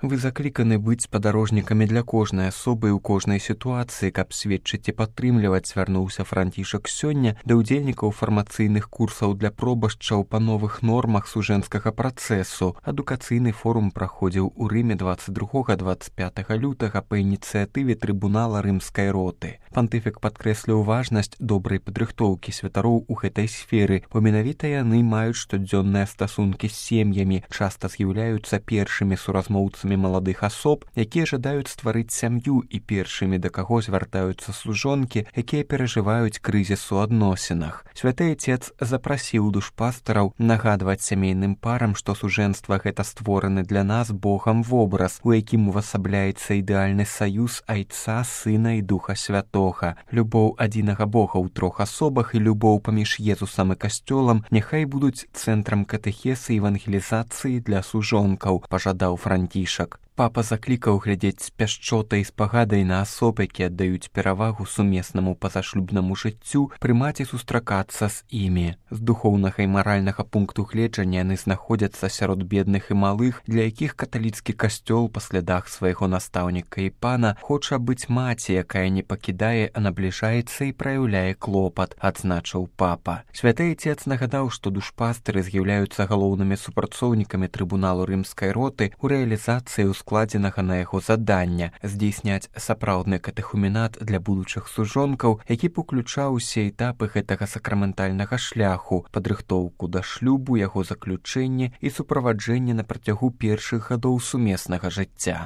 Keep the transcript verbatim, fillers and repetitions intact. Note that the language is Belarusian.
Вы закліканы быць спадарожнікамі для кожнай асобы і ў кожнай сітуацыі, каб сведчыць і падтрымліваць, звярнуўся Францішак сёння да ўдзельнікаў фармацыйных курсаў для пробашчаў па новых нормах сужэнскага працэсу. Адукацыйны форум праходзіў у Рыме дваццаць другога - дваццаць пятага лютага па ініцыятыве трыбунала рымскай роты. Пантыфік падкрэсліў важнасць добрай падрыхтоўкі святароў у гэтай сферы, бо менавіта яны маюць штодзённыя стасункі з сем'ямі, часта з'яўляюцца першымі суразмоўцамі маладых асоб, якія жадаюць стварыць сям'ю, і першымі, да каго звяртаюцца служонкі, якія перажываюць крызіс у адносінах. Святы Отец запрасіў душпастараў нагадваць сямейным парам, што сужэнства гэта створаны для нас Богам вобраз, у якім увасабляецца ідэальны саюз Айца, Сына і Духа Святога. Любоў адзінага Бога ў трох асобах і любоў паміж Езусам і касцёлам няхай будуць цэнтрам катэхесы і евангелізацыі для сужонкаў, пажадаў Францішак. Папа заклікаў глядзець з пяшчотай і спагадай на асоб, якія аддаюць перавагу сумеснаму пазашлюбнаму жыццю, прымаць і сустракацца з імі. З духоўнага і маральнага пункту гледжання яны знаходзяцца сярод бедных і малых, для якіх каталіцкі касцёл па слядах свайго настаўніка і пана хоча быць маці, якая не пакідае, а набліжаецца і праяўляе клопат, адзначыў папа. Святы Отец нагадаў, што душпастары з'яўляюцца галоўнымі супрацоўнікамі трыбуналу рымскай роты ў рэалізацыі ў складзенага на яго задання здзейсняць сапраўдны катэхуменат для будучых сужонкаў, які б уключаў усе этапы гэтага сакраментальнага шляху, падрыхтоўку да шлюбу, яго заключэнне і суправаджэнне на працягу першых гадоў сумеснага жыцця.